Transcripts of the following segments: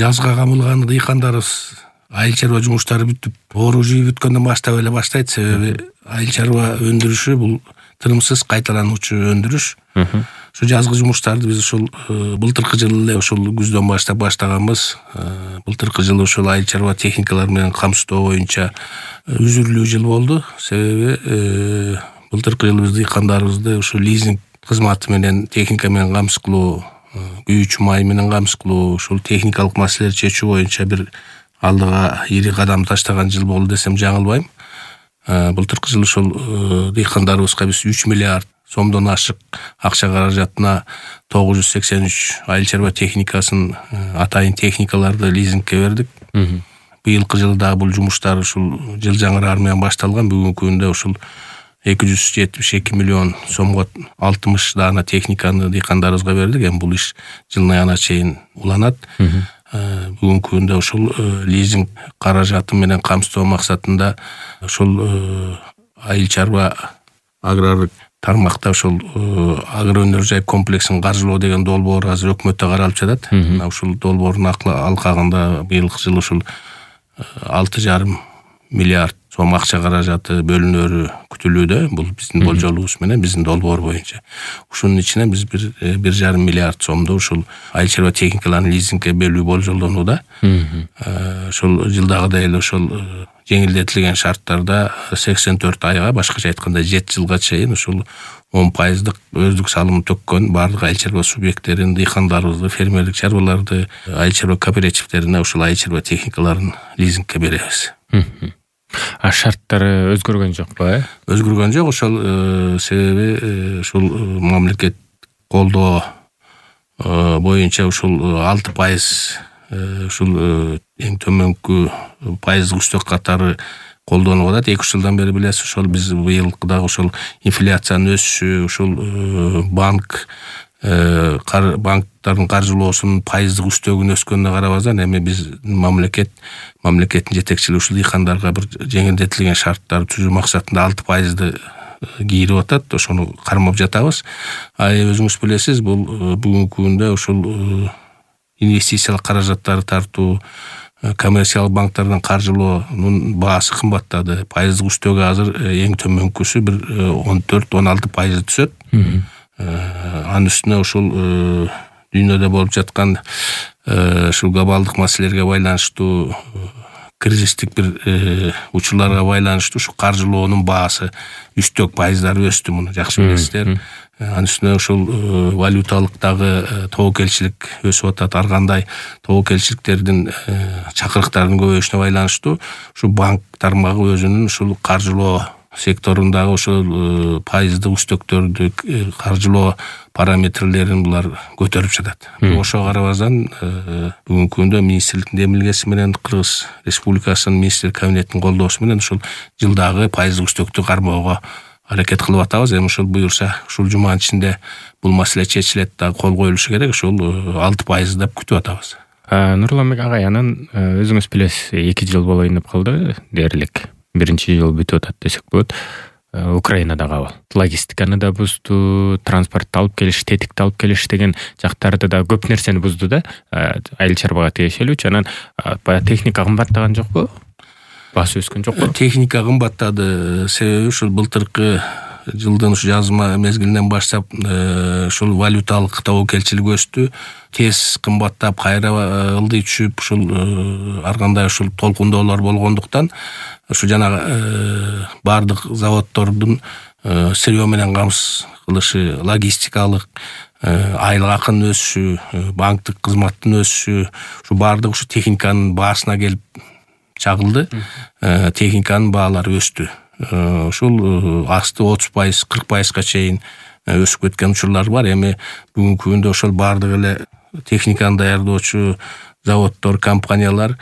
жазга камылган дыйкандарыбыз айыл чарба жумуштары бүтүп, оору жүйүп бүткөндөн баштап эле баштайт. Себеби айыл чарба өндүрүшү бул тынымсыз кайталануучу өндүрүш. Ошо жазгы жумуштарды биз ушул былтыркы жылы эле ушул күздөн баштап баштаганбыз. Былтыркы жылы ушул айыл чарба техникалар менен камсыздоо боюнча үзүрлүү жыл болду. Себеби былтыркы жылы биз дыйкандарыбызды ушул лизинг кызматы менен, техника менен камсыз кылуу, күйүүчү май менен камсыз кылуу, ушул техникалык маселелерди чечүү боюнча бир алдыга ири кадам таштаган жыл болду десем жаңылбайм. Былтыркы жылы ушул дыйкандарыбызга биз 3 миллиард сомдон ашык акча каражатына 983 айыл чарба техникасын, атайын техникаларды лизингке бердик. Быйылкы жылы дагы бул жумуштар ушул жыл жаңыраар менен башталган. Бүгүнкү күндө ушул 272 миллион сомго 60 даана техниканы дыйкандарыбызга бердик. Эми бул иш жылдын аягына чейин уланат. Бүгүнкү күндө ушул лизинг каражаты менен камсыздоо максатында ушул айыл чарба аграрлык тармакта ушул агроөнөр жай комплексин каржылоо деген долбоор азыр өкмөттө каралып жатат. Ушул долбоордун алкагында быйылкы жылы ушул 6,5 миллиард сом акча каражаты бөлүнөрү күтүлүүдө. Бул биздин болжолубуз менен, биздин долбоор боюнча. Ушунун ичинен биз 1,5 миллиард сомду ушул айыл чарба техникаларын лизингке бөлүү болжолдонууда. Ушул жылдагыдай эле ушул жеңилдетилген шарттарда 84 айга, башкача айтканда 7 жылга чейин ушул 10% өздүк салым төккөн бардык айыл чарба субъекттерин, дыйкандарыбызды, фермерлик чарбаларды, айыл чарба кооперативдерине ушул айыл чарба техникаларын лизингке беребиз. Шарттары өзгөргөн жокпу? Өзгөргөн жок. Ошол себеби ушул мамлекет колдоо боюнча ушул 6% ушул эң төмөнкү пайыздык үстөк катары колдонуп атат. 2 жылдан бери билесиз, ошол биз быйылкы дагы ушул инфляциянын өсүшү, ушул банктардын каржылоосунун пайыздык үстөгүнүн өскөнүнө карабастан эми биз мамлекеттин жетекчилиги ушул дыйкандарга бир жеңилдетилген шарттар түзүү максатында 6%ды кийирип атат. Ошону кармап жатабыз. Өзүңүз билесиз, бул бүгүнкү күндө ушул инвестициялык каражаттарды тартуу, коммерциялык банктардан каржылоонун баасы кымбаттады. Пайыздык үстөгү азыр эң төмөнкүсү бир 14-16% түшөт. Анын үстүнө ушул дүйнөдө болуп жаткан ушул глобалдык маселелерге байланыштуу, кризистик бир учурларга байланыштуу ушу каржылоонун баасы үстөк пайыздары өстү. Муну жакшы билесиздер. Анын үстүнө ушул валюталык дагы тобокелчилик өсүп атат. Ар кандай тобокелчиликтердин чакырыктарынын көбөйүшүнө байланыштуу ушу банк тармагы өзүнүн ушул каржылоо секторундагы ошол пайыздык үстөктөрдү каржылоо параметрлерин булар көтөрүп жатат. Ошого карабастан бүгүнкү күндө министрликтин демилгеси менен, Кыргыз Республикасынын министрлик кабинетинин колдоосу менен ушул жылдагы пайыздык үстөктү кармоого аракет кылып атабыз. Эми ушул буюрса, ушул жуманын ичинде бул маселе чечилет, дагы кол коюлушу керек. Ушул 6% деп күтүп атабыз. Нурланбек агай, анан өзүңүз билесиз, 2 жыл болоюнуп калды дээрлик. 1-жыл бүтүп атат десек болот. Украинада кабыл. Логистиканы да бузду, транспортты алып келиш, тетикти алып келиш деген жактарды да көп нерсени бузду да. Айыл чарбага тиешелүүчү. Анан баягы техника кымбаттаган жокпу? Баасы өскөн жокпу? Техника кымбаттады. Себеби ушул былтыркы жылдын ушу жазма мезгилинен баштап ушул валюталык тобокелчилик өстү. Тез кымбаттап, кайра ылдый түшүп, ушул ар кандай ушул толкундоолор болгондуктан ушу жанагы бардык заводдордун сырьё менен камсыз кылышы, логистикалык айлык акынын өсүшү, банктык кызматтын өсүшү, ушу бардык ушу техниканын баасына келип чагылды. Техниканын баалары өстү. Ушул асты 30%, 40%га чейин өсүп кеткен учурлар бар. Эми бүгүнкү күндө ошол бардык эле техниканы даярдоочу заводдор, компаниялар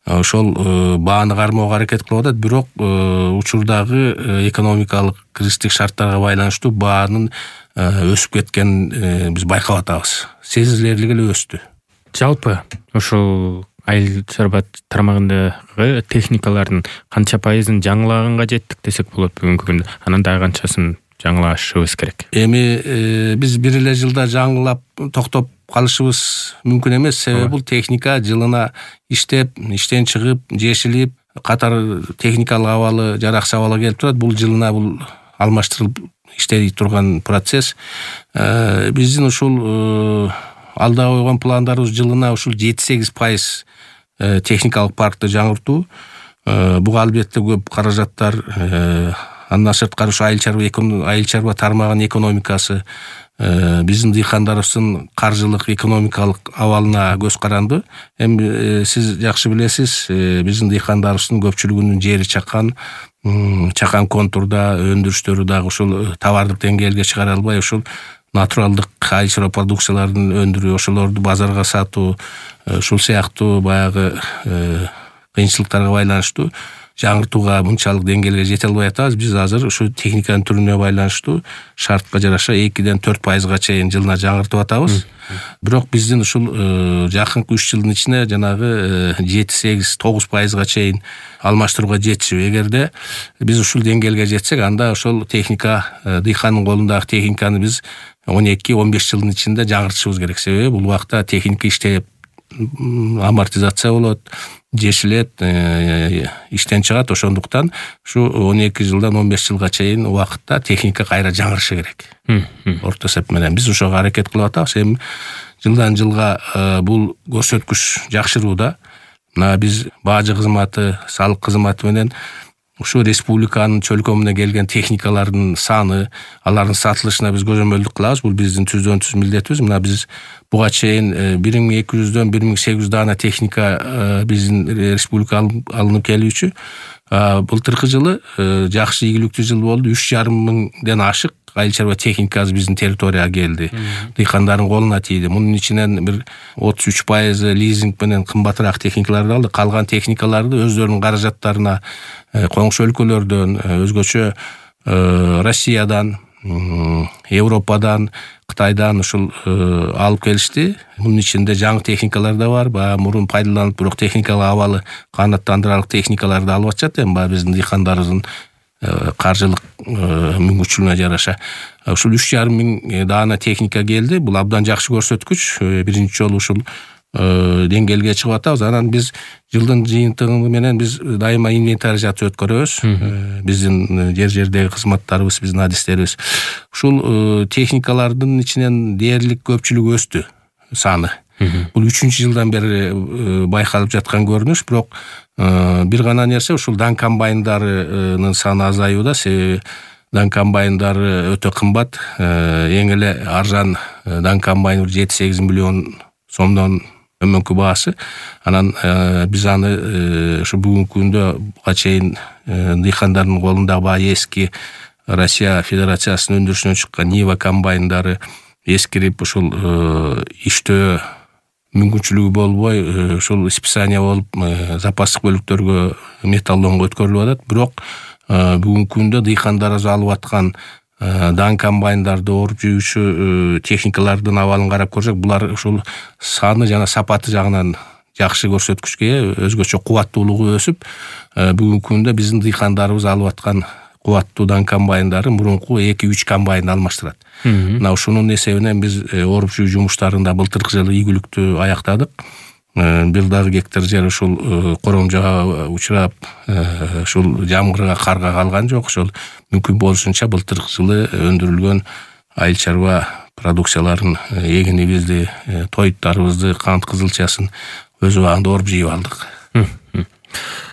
ошол бааны кармоого аракет кылып атат. Бирок учурдагы экономикалык кризистик шарттарга байланыштуу баанын өсүп кеткенин биз байкап атабыз. Сезилерлик эле өстү. Жалпы ушул айыл чарба тармагындагы техникалардын канча пайызын жаңылаганга жеттик десек болот бүгүнкү күндө? Анан дагы канчасын жаңылашыбыз керек. Эми биз бир эле жылда жаңылап токтоп калышыбыз мүмкүн эмес. Себеби бул техника жылына иштеп, иштен чыгып, жешилип, катар техникалык абалы, жаракчы абалга келип турат. Бул жылына бул алмаштырылып иштей турган процесс. Биздин ушул алда койгон пландарыбыз жылына ушул 7-8% техникалык паркты жаңыртуу. Буга албетте көп каражаттар, андан сырткары ушу айыл чарба тармагынын экономикасы, биздин дыйкандарыбыздын каржылык, экономикалык абалына көз каранды. Эми сиз жакшы билесиз, биздин дыйкандарыбыздын көпчүлүгүнүн жери чакан контурда, өндүрүштөрү дагы ушул товардык деңгээлге чыгара албай, ушул натуралдык айыл чарба продукцияларын өндүрүү, ошолорду базарга сатуу, ушул сыяктуу баягы кыйынчылыктарга байланыштуу жаңыртууга мынчалык деңгээлге жете албай атабыз. Биз азыр ушу техниканын түрүнө байланыштуу шартка жараша 2-4%га чейин жылына жаңыртып атабыз. Бирок биздин ушул жакынкы 3 жылдын ичинде жанагы 7-8-9%га чейин алмаштырууга жетишип, эгерде биз ушул деңгээлге жетсек, анда ошол техника, дыйкандын колундагы техниканы биз 12-15 жылдын ичинде жаңыртышыбыз керек. Себеби бул убакта техника иштеп амортизация болот, жешилет, иштен чыгат. Ошондуктан ушу 12 жылдан 15 жылга чейин убакытта техника кайра жаңырышы керек. Орто эсеп менен биз ошого аракет кылып атабыз. Эми жылдан жылга бул көрсөткүч жакшырууда. Мына биз бажы кызматы, салык кызматы менен ушу республиканын чөлкөмүнө келген техникалардын саны, алардын сатылышына биз көзөмөлдүк кылабыз. Бул биздин түздөн-түз милдетибиз. Мына биз буга чейин 1200дөн 1800 даана техника биздин республикага алынып келүүчү. Былтыркы жылы жакшы ийгиликтүү жыл болду. 3,5 миңден ашык айыл чарба техникасы биздин территорияга келди. Дыйкандардын колуна тийди. Мунун ичинен бир 33% лизинг менен кымбатыраак техникаларды алды. Калган техникаларды өздөрүнүн каражаттарына коңшу өлкөлөрдөн, өзгөчө Россиядан, Европадан, Кытайдан ушул алып келишти. Мунун ичинде жаңы техникалар да бар. Баягы мурун пайдаланып, бирок техникалык абалы канааттандырарлык техникаларды алып атышат. Эми баягы биздин дыйкандарыбыздын каржылык мүмкүнчүлүгүнө жараша ушул 3,5 миң даана техника келди. Бул абдан жакшы көрсөткүч. Биринчи жолу ушул деңгээлге чыгып атабыз. Анан биз жылдын жыйынтыгы менен биз дайыма инвентаризация өткөрөбүз. Биздин жер-жердеги кызматтарыбыз, биздин адистерибиз. Ушул техникалардын ичинен дээрлик көпчүлүгү өстү саны. Бул 3-жылдан бери байкалып жаткан көрүнүш. Бирок бир гана нерсе, ушул дан комбайндарынын саны азаюуда. Себеби дан комбайндары өтө кымбат. Эң эле арзан дан комбайн 7-8 миллион сомдон төмөнкү баасы. Анан биз аны ушу бүгүнкү күндө буга чейин дыйкандардын колундагы баягы эски Россия Федерациясынын өндүрүшүнөн чыккан Нива комбайндары эскирип, ушул иштөө мүмкүнчүлүгү болбой, ушул списание болуп, запастык бөлүктөргө металлонго өткөрүлүп атат. Бирок бүгүнкү күндө дыйкандарыбыз алып аткан дан комбайндарды оруп жүйүүчү техникалардын абалын карап көрсөк, булар ушул саны жана сапаты жагынан жакшы көрсөткүчкө ээ, өзгөчө кубаттуулугу өсүп, бүгүнкү күндө биздин дыйкандарыбыз алып аткан кубаттуу дан комбайндары мурунку 2-3 комбайнды алмаштырат. Мына ушунун эсебинен биз оруп жүйүү жумуштарын да былтыркы жылы ийгиликтүү аяктадык. Бир дагы гектар жер ушул коромжага учурап, ушул жамгырга, карга калган жок. Ошол мүмкүн болушунча былтыркы жылы өндүрүлгөн айыл чарба продукцияларын, эгинибизди, тоюттарыбызды, кант кызылчасын өз убагында оруп жыйып алдык.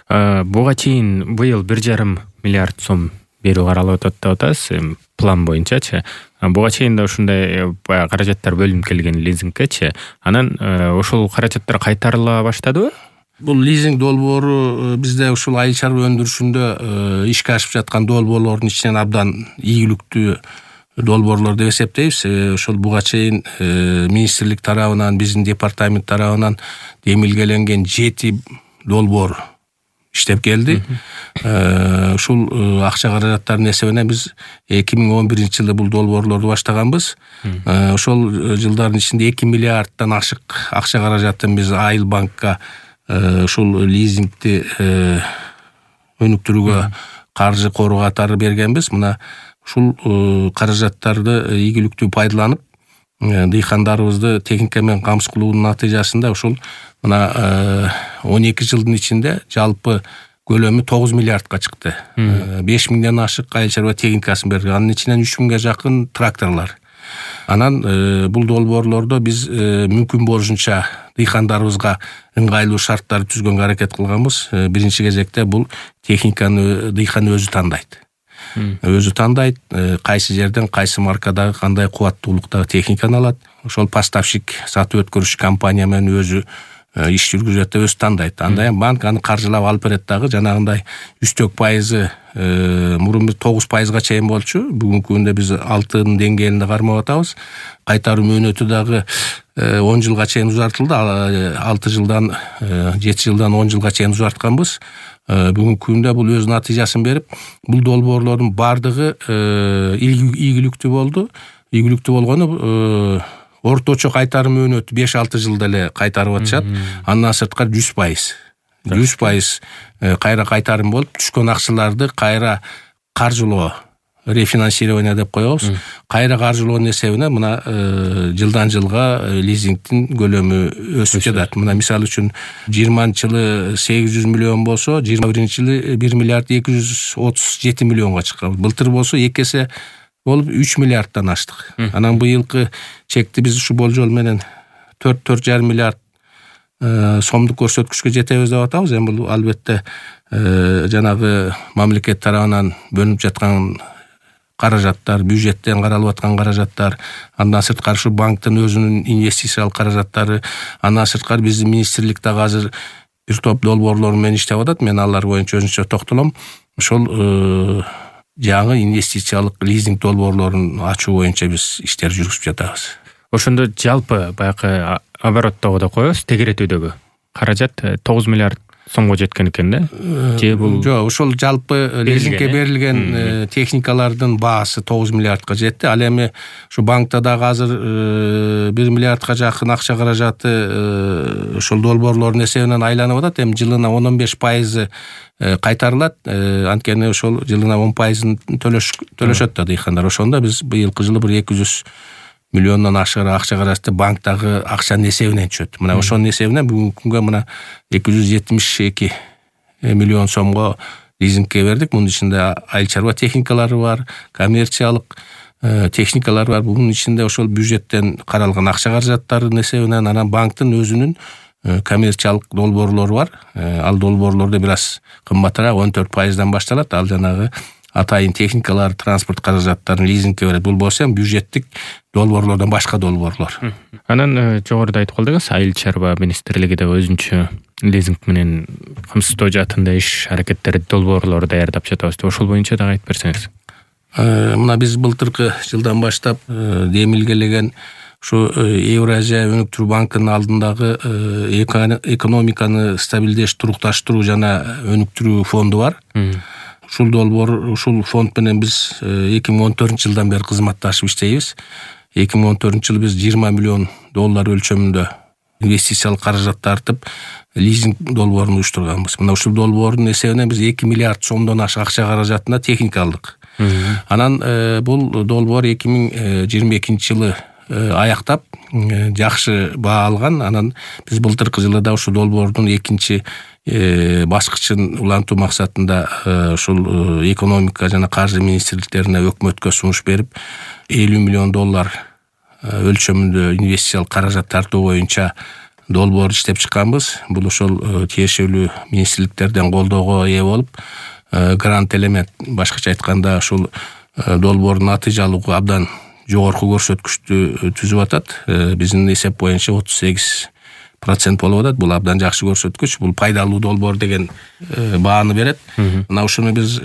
Буга чейин быйыл 1,5 миллиард сом берүү каралып атат деп атасыз, план боюнчачы. Буга чейин да ушундай каражаттар бөлүнүп келген лизингкечи. Анан ошол каражаттар кайтарыла баштадыбы? Бул лизинг долбоору бизде ушул айыл чарба өндүрүшүндө ишке ашып жаткан долбоорлордун ичинен абдан ийгиликтүү долбоорлор деп эсептейбиз. Ошол буга чейин министрлик тарабынан, биздин департамент тарабынан демилгеленген 7 долбоор иштеп келди. Ушул акча каражаттарынын эсебинен биз 2011-жылы бул долбоорлорду баштаганбыз. Ошол жылдардын ичинде 2 миллиарддан ашык акча каражатын биз Айыл банкка ушул лизингди өнүктүрүүгө каржы кору катары бергенбиз. Мына ушул каражаттарды ийгиликтүү пайдаланып дыйкандарыбызды техника менен камсыз кылуунун натыйжасында ушул мына 12 жылдын ичинде жалпы көлөмү 9 миллиардка чыкты. 5 миңден ашык айыл чарба техникасын берди. Анын ичинен 3 миңге жакын тракторлар. Анан бул долбоорлордо биз мүмкүн болушунча дыйкандарыбызга ыңгайлуу шарттар түзгөнгө аракет кылганбыз. Биринчи кезекте бул техниканы дыйкан өзү тандайт. Өзү тандайт, кайсы жерден кайсы маркадагы кандай кубаттуулуктагы техниканы алат. Ошол поставщик сатып өткөрүүчү компания менен өзү иш жүргүзөт деп өзү тандайт. Андай банк аны каржылап алып берет дагы. Жанагындай үстөк пайызы мурун биз 9%га чейин болчу. Бүгүнкү күндө биз 6-нын деңгээлинде кармап атабыз. Кайтаруу мөөнөтү дагы 10 жылга чейин узартылды. 6 жылдан 7 жылдан 10 жылга чейин узартканбыз. Бүгүнкү күндө бул өз натыйжасын берип, бул долбоорлордун бардыгы ийгиликтүү болду. Ийгиликтүү болгону орточо кайтарым мөөнөтү 5-6 жылда эле кайтарып атышат. Андан сырткары 100% кайра кайтарым болуп, түшкөн акчаларды кайра каржылоо, рефинансирование деп коебуз. Кайра каржылоонун эсебине мына жылдан жылга лизингдин көлөмү өсүп жатат. Мына мисалы үчүн 20-жылы 800 миллион болсо, 21-жылы 1 миллиард 237 миллионго чыккан. Былтыр болсо 2 эсе болуп 3 миллиардтан аштык. Анан быйылкы чекти биз ушу болжол менен 4,5 миллиард сомдук көрсөткүчкө жетебиз деп атабыз. Эми бул албетте жанагы мамлекет тарабынан бөлүнүп жаткан каражаттар, бюджеттен каралып аткан каражаттар, андан сырткары ушу банктын өзүнүн инвестициялык каражаттары, андан сырткары биздин министрлик дагы азыр бир топ долбоорлор менен иштеп атат. Мен алар боюнча өзүнчө токтолом. Ошол жаңы инвестициялык лизинг долбоорлорун ачуу боюнча биз иштер жүргүзүп жатабыз. Ошондо жалпы баягы обороттогу да коебуз, тегеретүүдөгү каражат 9 миллиард сомго жеткен экен да? Же бул жок, ошол жалпы лизингге берилген техникалардын баасы 9 миллиардка жетти. Ал эми ушу банкта дагы азыр 1 миллиардка жакын акча каражаты ошол долбоорлордун эсебинен айланып атат. Эми жылына 10-15% кайтарылат. Анткени ошол жылына 10%-ын төлөшөт да дыйкандар. Ошондо биз быйылкы жылы бир 200 миллиондон ашыгы акча каражаты банктагы акчанын эсебинен түшөт. Мына ошонун эсебинен бүгүнкү күнгө мына 272 миллион сомго лизингке бердик. Мунун ичинде айыл чарба техникалары бар, коммерциялык техникалар бар. Бунун ичинде ошол бюджеттен каралган акча каражаттарынын эсебинен анан банктын өзүнүн коммерциялык долбоорлору бар. Ал долбоорлордо бир аз кымбатыраак 14%дан башталат. Ал жанагы атайын техникалар, транспорт каражаттарын лизингке берет. Бул болсо эми бюджеттик долбоорлордон башка долбоорлор. Анан жогоруда айтып калдыңыз, айыл чарба министрлиги да өзүнчө лизинг менен камсыздоо жаатында иш аракеттерди долбоорлорду даярдап жатабыз деп, ошол боюнча дагы айтып берсеңиз. Мына биз былтыркы жылдан баштап демилгелеген ушу Евразия өнүктүрүү банкынын алдындагы экономиканы стабилдеш, турукташтыруу жана өнүктүрүү фонду бар. Ушул долбоор, ушул фонд менен биз 2014-жылдан бери кызматташып иштейбиз. 2014-жылы биз 20 миллион доллар өлчөмүндө инвестициялык каражат тартып, лизинг долбоорун уюштурганбыз. Мына ушул долбоордун эсебинен биз 2 миллиард сомдон ашык акча каражатына техника алдык. Анан бул долбоор 2022-жылы аяктап жакшы баа алган. Анан биз былтыркы жылы да ушул долбоордун экинчи баскычын улантуу максатында ушул экономика жана каржы министрликтерине өкмөткө сунуш берип 50 миллион доллар өлчөмүндө инвестициялык каражат тартуу боюнча долбоор иштеп чыкканбыз. Бул ошол тиешелүү министрликтерден колдоого ээ болуп, грант элемент, башкача айтканда ушул долбоордун натыйжалуулугу абдан жогорку көрсөткүчтү түзүп атат. Биздин эсеп боюнча 38% болуп атат. Бул абдан жакшы көрсөткүч. Бул пайдалуу долбоор деген бааны берет. Мына ушуну биз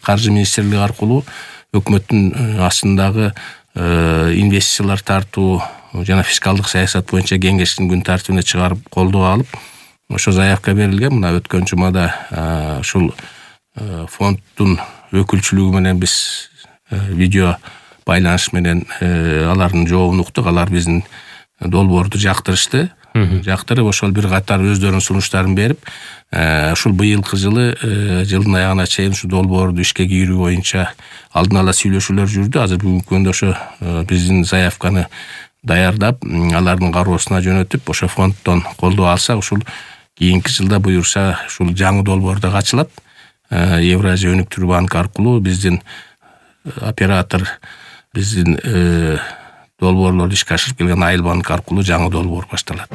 каржы министрлиги аркылуу өкмөттүн астындагы инвестициялар тартуу жана фискалдык саясат боюнча кеңештин күн тартибине чыгарып колдоо алып, ошо заявка берилген. Мына өткөн жумада ушул фонддун өкүлчүлүгү менен биз видео байланыш менен алардын жообун уктук. Алар биздин долбоорду жактырышты. жактырып ошол бир катар өздөрүнүн сунуштарын берип, ушул быйылкы жылы жылдын аягына чейин ушу долбоорду ишке кийирүү боюнча алдын ала сүйлөшүүлөр жүрдү. Азыр бүгүнкү күндө ошо биздин заявканы даярдап, алардын кароосуна жөнөтүп, ошо фонддон колдоо алсак, ушул кийинки жылда буюрса ушул жаңы долбоор да ачылат. Евразия өнүктүрүү банкы аркылуу биздин оператор, биздин долбоорлорду ишке ашырып келген Айыл банк аркылуу жаңы долбоор башталат.